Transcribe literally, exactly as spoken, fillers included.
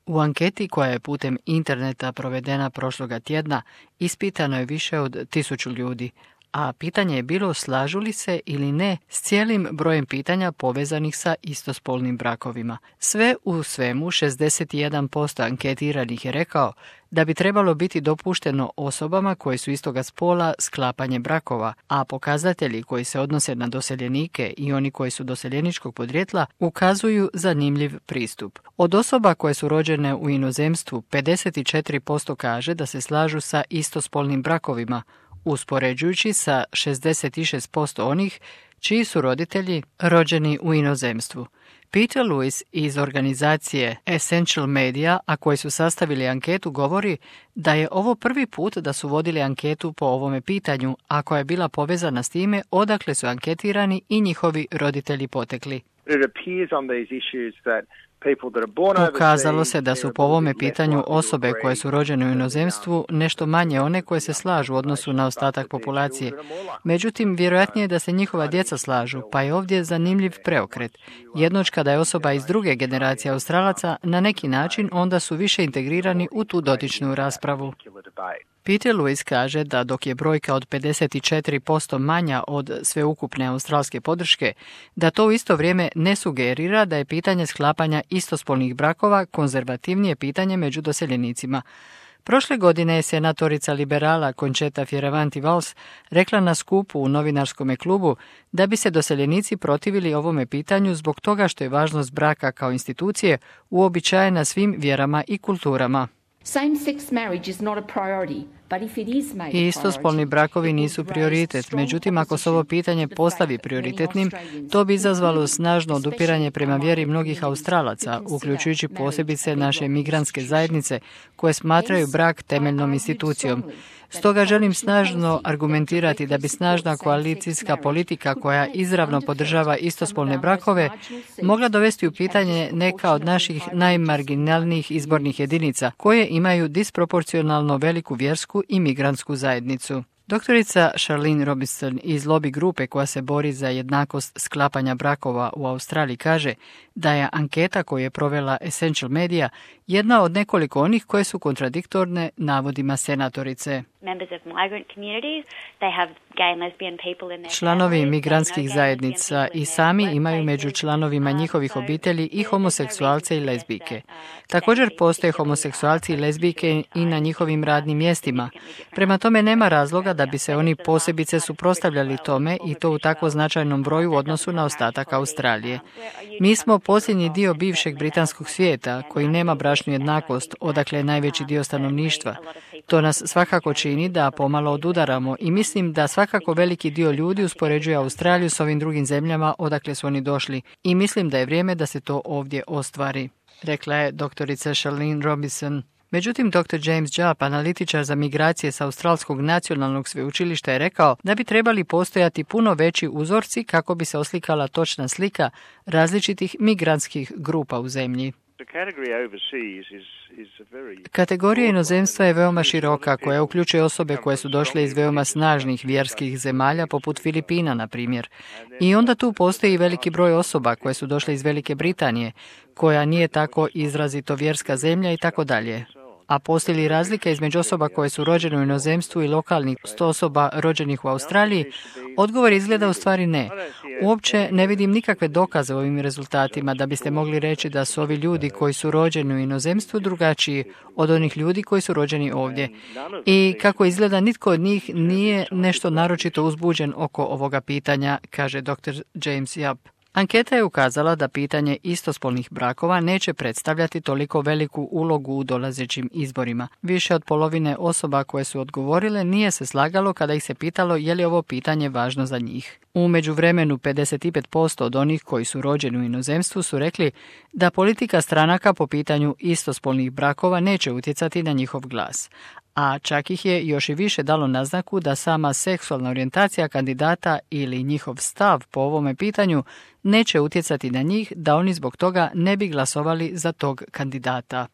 U anketi koja je putem interneta provedena prošloga tjedna ispitano je više od tisuću ljudi, a pitanje je bilo slažu li se ili ne s cijelim brojem pitanja povezanih sa istospolnim brakovima. Sve u svemu šezdeset jedan posto anketiranih je rekao da bi trebalo biti dopušteno osobama koje su istoga spola sklapanje brakova, a pokazatelji koji se odnose na doseljenike i oni koji su doseljeničkog podrijetla ukazuju zanimljiv pristup. Od osoba koje su rođene u inozemstvu, pedeset četiri posto kaže da se slažu sa istospolnim brakovima, uspoređujući sa šezdeset šest posto onih čiji su roditelji rođeni u inozemstvu. Peter Lewis iz organizacije Essential Media, a koji su sastavili anketu, govori da je ovo prvi put da su vodili anketu po ovome pitanju, a koja je bila povezana s time odakle su anketirani i njihovi roditelji potekli. Ukazalo se da su po ovome pitanju osobe koje su rođene u inozemstvu nešto manje one koje se slažu u odnosu na ostatak populacije. Međutim, vjerojatnije je da se njihova djeca slažu, pa je ovdje zanimljiv preokret. Jednoć kada je osoba iz druge generacije Australaca, na neki način onda su više integrirani u tu dotičnu raspravu. Peter Lewis kaže da dok je brojka od pedeset četiri posto manja od sveukupne australske podrške, da to u isto vrijeme ne sugerira da je pitanje sklapanja istospolnih brakova konzervativnije pitanje među doseljenicima. Prošle godine je senatorica liberala Concetta Fierravanti-Valls rekla na skupu u novinarskom klubu da bi se doseljenici protivili ovome pitanju zbog toga što je važnost braka kao institucije uobičajena svim vjerama i kulturama. I istospolni brakovi nisu prioritet, međutim ako se ovo pitanje postavi prioritetnim, to bi izazvalo snažno odupiranje prema vjeri mnogih Australaca, uključujući posebice naše migrantske zajednice koje smatraju brak temeljnom institucijom. Stoga želim snažno argumentirati da bi snažna koalicijska politika koja izravno podržava istospolne brakove mogla dovesti u pitanje neka od naših najmarginalnijih izbornih jedinica koje imaju disproporcionalno veliku vjersku i migrantsku zajednicu. Doktorica Charlene Robinson iz lobby grupe koja se bori za jednakost sklapanja brakova u Australiji kaže da je anketa koju je provela Essential Media jedna od nekoliko onih koje su kontradiktorne navodima senatorice. Članovi migrantskih zajednica i sami imaju među članovima njihovih obitelji i homoseksualce i lezbijke. Također postoje homoseksualci i lezbijke i na njihovim radnim mjestima. Prema tome nema razloga da bi se oni posebice suprotstavljali tome i to u tako značajnom broju u odnosu na ostatak Australije. Mi smo posljednji dio bivšeg britanskog svijeta koji nema bračnu jednakost, odakle je najveći dio stanovništva. To nas svakako čini da pomalo odudaramo i mislim da svakako veliki dio ljudi uspoređuje Australiju s ovim drugim zemljama odakle su oni došli i mislim da je vrijeme da se to ovdje ostvari, rekla je doktorica Charlene Robinson. Međutim, doktor James Jupp, analitičar za migracije sa Australskog nacionalnog sveučilišta, je rekao da bi trebali postojati puno veći uzorci kako bi se oslikala točna slika različitih migrantskih grupa u zemlji. Kategorija inozemstva je veoma široka, koja uključuje osobe koje su došle iz veoma snažnih vjerskih zemalja, poput Filipina, na primjer. I onda tu postoji i veliki broj osoba koje su došle iz Velike Britanije, koja nije tako izrazito vjerska zemlja i tako dalje. A postoji li razlika između osoba koje su rođene u inozemstvu i lokalnih sto osoba rođenih u Australiji? Odgovor izgleda u stvari ne. Uopće ne vidim nikakve dokaze u ovim rezultatima da biste mogli reći da su ovi ljudi koji su rođeni u inozemstvu drugačiji od onih ljudi koji su rođeni ovdje. I kako izgleda, nitko od njih nije nešto naročito uzbuđen oko ovoga pitanja, kaže doktor James Jupp. Anketa je ukazala da pitanje istospolnih brakova neće predstavljati toliko veliku ulogu u dolazećim izborima. Više od polovine osoba koje su odgovorile nije se slagalo kada ih se pitalo je li ovo pitanje važno za njih. U međuvremenu pedeset pet posto od onih koji su rođeni u inozemstvu su rekli da politika stranaka po pitanju istospolnih brakova neće utjecati na njihov glas. A čak ih je još i više dalo naznaku da sama seksualna orijentacija kandidata ili njihov stav po ovome pitanju neće utjecati na njih, da oni zbog toga ne bi glasovali za tog kandidata.